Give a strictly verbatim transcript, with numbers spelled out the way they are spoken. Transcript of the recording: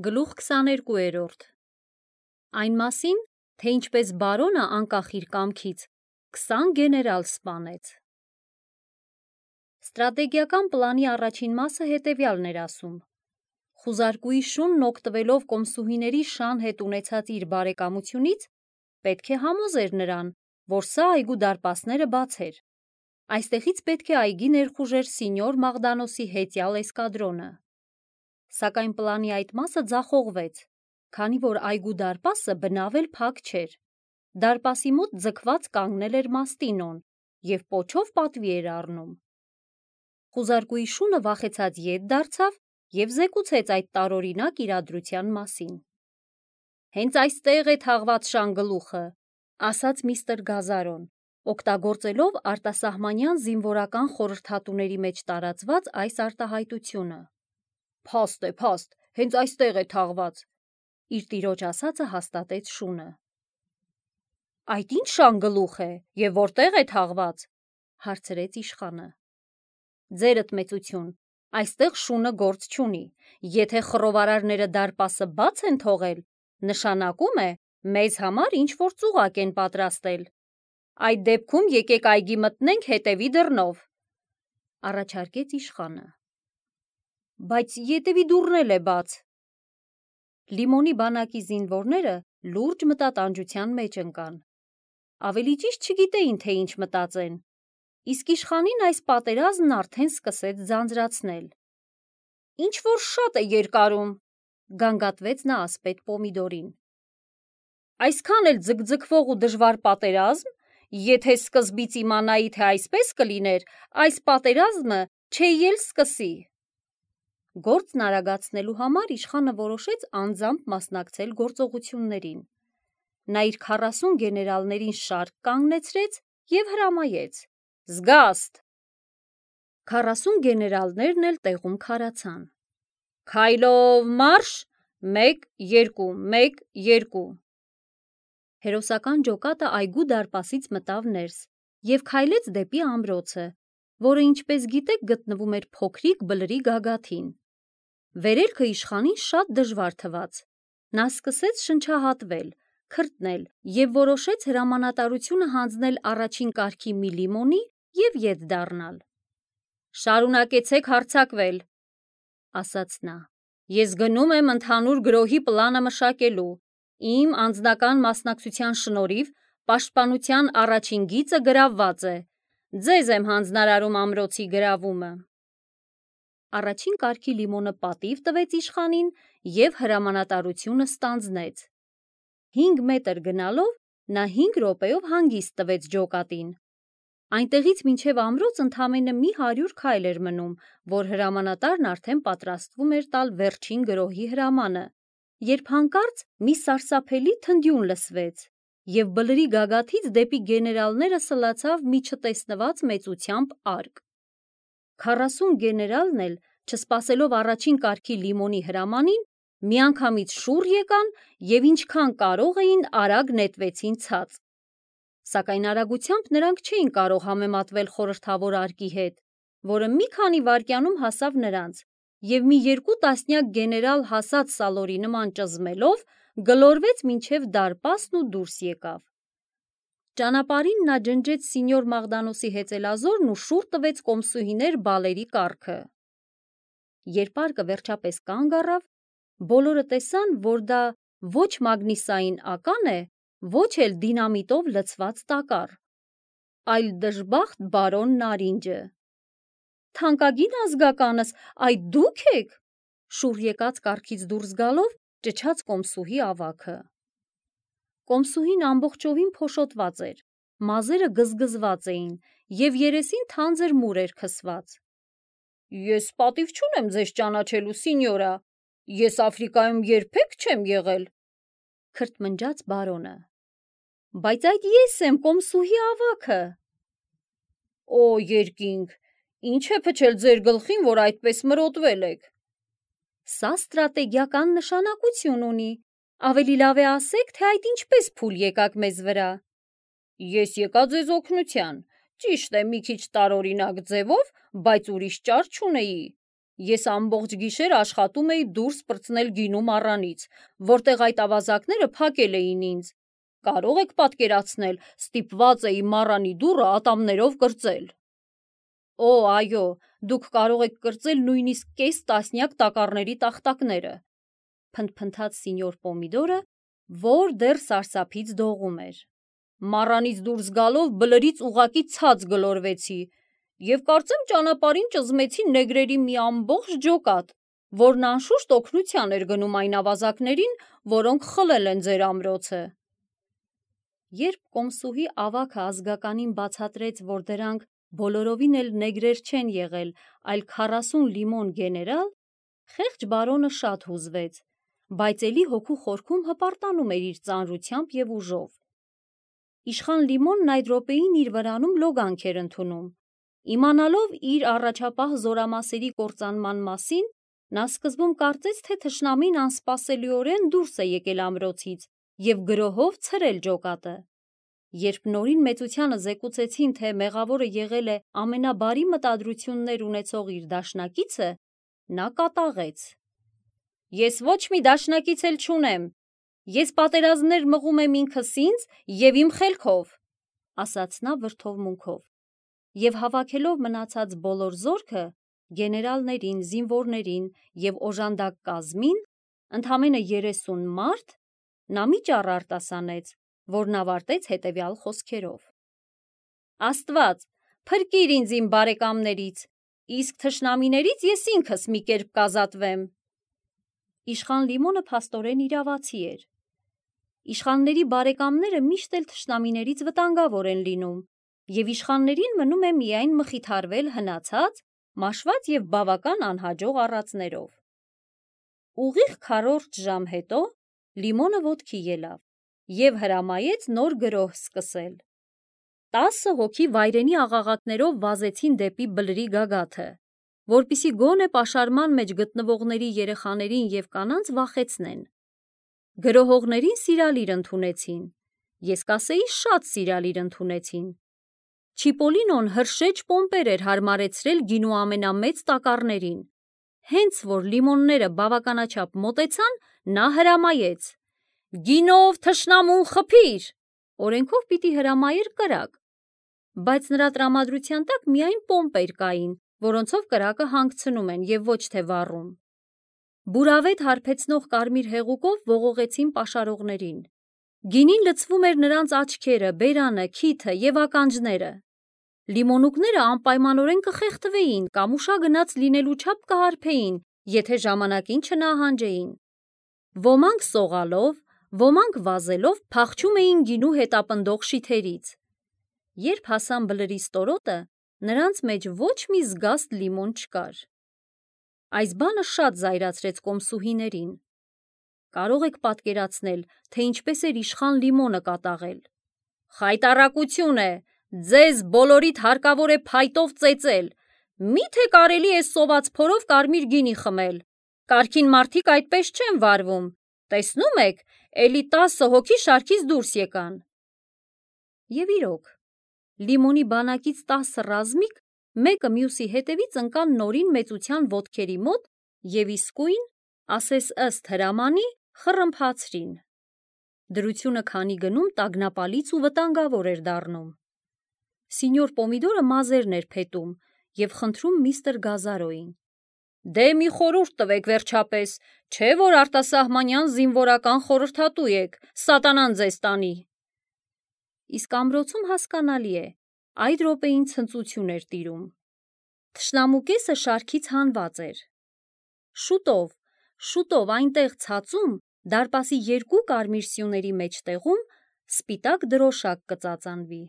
Գլուխ քսաներկուերորդ Այն մասին, թե ինչպես բարոնը անկախ իր կամքից քսան գեներալ սպանեց։ Ստրատեգիական պլանի առաջին մասը հետևյալն էր ասում. խուզարկուի շունն օգտվելով կոմսուհիների շան հետ ունեցած իր բարեկամությունից, պետք է համոզեր նրան, որ սա այգու դարպասները բացեր։ Այստեղից պետք է այգի ներխուժեր սինյոր Մաղդանոսի հետյալ էսկադրոնը։ Սակայն պլանի այդ մասը ձախողվեց, քանի որ այգու դարպասը բնավ էլ փակ չէր։ Դարպասի մոտ ձգված կանգնել էր Մաստինոն և պոչով պատվի էր առնում։ Խուզարկուի շունը վախեցած ետ դարձավ և զեկուցեց այդ տարօրինակ իրադրության մասին։ Հենց այստեղ է թաղված շանգլուխը, ասաց միստր Գազարոն, օգտագործելով արտասահմանյան զինվորական խորհրդատուների մեջ տարածված այս արտահայտությունը։ Փաստ է, փաստ, հենց այստեղ է թաղված, իր տիրոջ ասածը հաստատեց շունը։ Այդ ինչ շանգլուխ է և որտեղ է թաղված, հարցրեց իշխանը։ Ձերդ մեծություն, այստեղ շունը գործ չունի, եթե խռովարարները դարպասը բաց են թողել, նշանակում է մեզ համար ինչ-որ ծուղակ են պատրաստել։ Այդ դեպքում եկեք այգի մտնենք հետևի դռնով, առաջարկեց իշխանը։ Բայց ետևի դուռն էլ է բաց։ Լիմոնի բանակի զինվորները լուրջ մտատանջության մեջ ընկան։ Ավելի ճիշտ չգիտեին, թե ինչ մտածեն, իսկ իշխանին այս պատերազմն արդեն սկսեց ձանձրացնել։ Ինչ-որ շատ է երկարում, գանգատվեց նա ասպետ Պոմիդորին։ Այսքան էլ ձգձգվող ու դժվար պատերազմ, եթե սկզբից իմանայի, թե այսպես կլիներ, այս պատերազմը չէի էլ սկսի։ Գործն արագացնելու համար իշխանը որոշեց անձամբ մասնակցել գործողություններին։ Նա իր քառասուն գեներալներին շարք կանգնեցրեց և հրամայեց. Զգաստ։ Քառասուն գեներալներն էլ տեղում քարացան։ Քայլով մարշ, մեկ, երկու, մեկ, երկու։ Հերոսական ջոկատը այգու դարպասից մտավ ներս և քայլեց դեպի ամրոցը, որը, ինչպես գիտեք, գտնվում էր փոքրիկ բլրի գագաթին։ Վերելքը իշխանին շատ դժվար թվաց։ Նա սկսեց շնչահատվել, քրտնել և որոշեց հրամանատարությունը հանձնել առաջին կարգի մի լիմոնի և ետ դառնալ։ Շարունակեցեք հարձակվել, ասաց նա։ Ես գնում եմ ընդհանուր գրոհի պլանը մշակելու։ Իմ անձնական մասնակցության շնորհիվ պաշտպանության առաջին գիծը գրավված է։ Ձեզ եմ հանձնարարում ամրոցի գրավումը։ Առաջին կարգի լիմոնը պատիվ տվեց իշխանին և հրամանատարությունը ստանձնեց։ Հինգ մետր գնալով նա հինգ րոպեով հանգիստ տվեց ջոկատին։ Այնտեղից մինչև ամրոց ընդամենը մի հարյուր քայլ էր մնում, որ հրամանատարն արդեն պատրաստվում էր տալ վերջին գրոհի հրամանը, երբ հանկարծ մի սարսափելի թնդյուն լսվեց, և բլրի գագաթից դեպի գեներալները սլացավ մի չտեսնված մեծությամբ արկ։ Քառասուն գեներալն էլ, չսպասելով առաջին կարգի լիմոնի հրամանին, միանգամից շուռ եկան և ինչքան կարող էին արագ նետվեցին ցած։ Սակայն արագությամբ նրանք չէին կարող համեմատվել խորհրդավոր արկի հետ, որը մի քանի վայրկյանում հասավ նրանց և մի երկու տասնյակ գեներալ հասած սալորի նման ճզմելով գլորվեց մինչև դարպասն ու դուրս եկավ։ Ճանապարհին նա ջնջեց սինյոր Մաղդանոսի հեծելազորն ու շուռ տվեց կոմսուհիներ բալերի կառքը։ Երբ արկը վերջապես կանգ առավ, բոլորը տեսան, որ դա ոչ մագնիսային ական է, ոչ էլ դինամիտով լցված տակառ, այլ դժբախտ բարոն Նարինջը։ Թանկագին ազգականս, այդ դու՞ք եք, շուռ եկած կառքից դուրս գալով ճչաց կոմսուհի ավագը։ Կոմսուհին ամբողջովին փոշոտված էր, մազերը գզգզված էին և երեսին թանձր մուր էր քսված։ Ես պատիվ չունեմ ձեզ ճանաչելու, սինյորա, ես Աֆրիկայում երբեք չեմ եղել, քրթմնջաց բարոնը։ Բայց այդ ես եմ, կոմսուհի ավագը։ Օ, երկինք, ինչ է փչել ձեր գլխին, որ այդպես մրոտվել եք։ Սա ստրատեգիական նշանակություն ունի, ավելի լավ է ասեք, թե այդ ինչպես փուլ եկաք մեզ վրա։ Ես եկա ձեզ օգնության, ճիշտ է մի քիչ տարօրինակ ձևով, բայց ուրիշ ճար չունեի։ Ես ամբողջ գիշեր աշխատում էի դուրս պրծնել գինու մառանից, որտեղ այդ ավազակները փակել էին ինձ։ Կարող եք պատկերացնել, ստիպված էի մառանի դուռը ատամներով կրծել։ Օ, այո, դուք կարող եք կրծել նույնիսկ կես տասնյակ տակառների տախտակները, փնթփնթաց սինյոր Պոմիդորը, որ դեռ սարսափից դողում էր։ Մառանից դուրս գալով բլրից ուղղակի ցած գլորվեցի և կարծեմ ճանապարհին ճզմեցի նեգրերի մի ամբողջ ջոկատ, որն անշուշտ օգնության էր գնում այն ավազակներին, որոնք խլել են ձեր ամրոցը։ Երբ կոմսուհի ավագը ազգականին բացատրեց, որ դրանք բոլորովին էլ նեգրեր չեն եղել, այլ քառասուն լիմոն գեներալ, խեղճ բարոնը շատ հուզվեց, բայց էլի հոգու խորքում հպարտանում էր իր ծանրությամբ և ուժով։ Իշխան Լիմոնն այդ րոպեին իր վրանում լոգանք էր ընդունում։ Իմանալով իր առաջապահ զորամասերի կործանման մասին, նա սկզբում կարծեց, թե թշնամին անսպասելիորեն դուրս է եկել ամրոցից և գրոհով ցրել ջոկատը։ Երբ նորին մեծությանը զեկուցեցին, թե մեղավորը եղել է ամենաբարի մտադրություններ ունեցող իր դաշնակիցը, նա կատաղեց. Ես ոչ մի դաշնակից էլ չունեմ, ես պատերազմներ մղում եմ ինքս ինձ և իմ խելքով, ասաց նա վրդովմունքով, և հավաքելով մնացած բոլոր զորքը, գեներալներին, զինվորներին և օժանդակ կազմին, ընդամենը երեսուն մարդ, նա մի ճառ արտասանեց, որն ավարտեց հետևյալ խոսքերով. Աստված, փրկիր ինձ իմ բարեկամներից, իսկ թշնամիներից ես ինքս մի կերպ կազատվեմ։ Իշխան Լիմոնը փաստորեն իրավացի էր։ Իշխանների բարեկամները միշտ էլ թշնամիներից վտանգավոր են լինում, և իշխաններին մնում է միայն մխիթարվել հնացած, մաշված և բավական անհաջող առածներով։ Ուղիղ քառորդ ժամ հետո Լիմոնը ոտքի ելավ և հրամայեց նոր գրոհ սկսել։ Տասը հոգի վայրենի աղաղակներով վազեցին դեպի բլրի գագաթը, որպեսզի գոնե պաշարման մեջ գտնվողների երեխաներին և կանանց վախեցնեն։ Գրոհողներին սիրալիր ընդունեցին, ես կասեի շատ սիրալիր ընդունեցին։ Չիպոլինոն հրշեջ պոմպեր էր հարմարեցրել գինու ամենամեծ տակառներին։ Հենց որ լիմոնները բավականաչափ մոտեցան, նա հրամայեց. «Գինով թշնամուն խփիր»։ Օրենքով պիտի հրամայեր կրակ, բայց նրա տրամադրության տակ միայն պոմպեր կային, որոնցով կրակը հանգցնում են և ոչ թե վառում։ Բուրավետ հարբեցնող կարմիր հեղուկով ողողեցին պաշարողներին։ Գինին լցվում էր նրանց աչքերը, բերանը, քիթը և ականջները։ Լիմոնուկները անպայմանորեն կխեղդվեին կամ ուշագնաց լինելու չափ կհարբեին, եթե ժամանակին չնահանջեին։ Ոմանք սողալով, ոմանք վազելով փախչում էին գինու հետապնդող շիթերից։ Երբ հասան բլրի ստորոտը, նրանց մեջ ոչ մի զգաստ լիմոն չկար։ Այս բանը շատ զայրացրեց կոմսուհիներին։ Կարող եք պատկերացնել, թե ինչպես էր իշխան Լիմոնը կատաղել։ Խայտառակություն է, ձեզ բոլորիդ հարկավոր է փայտով ծեծել, միթե կարելի է սոված փորով կարմիր գինի խմել, կարգին մարդիկ այդպես չեն վարվում, տեսնում եք, էլի տասը հոգի շարքից դուրս եկան։ Եվ իրոք, Լիմոնի բանակից տասը ռազմիկ մեկը մյուսի հետևից ընկան նորին մեծության ոտքերի մոտ և իսկույն, ասես ըստ հրամանի, խռմփացրին։ Դրությունը քանի գնում տագնապալից ու վտանգավոր էր դառնում։ Սինյոր Պոմիդորը մազերն էր փետում և խնդրում միստր Գազարոյին. Դե մի խորհուրդ տվեք վերջապես, չէ որ արտասահմանյան զինվորական խորհրդատու եք, սատանան ձեզ տանի։ Իսկ ամրոցում հասկանալի է, այդ րոպեին ցնծություն էր տիրում։ Թշնամու կեսը շարքից հանված էր։ Շուտով, շուտով այնտեղ ցածում, դարպասի երկու կարմիր սյուների մեջտեղում սպիտակ դրոշակ կծածանվի։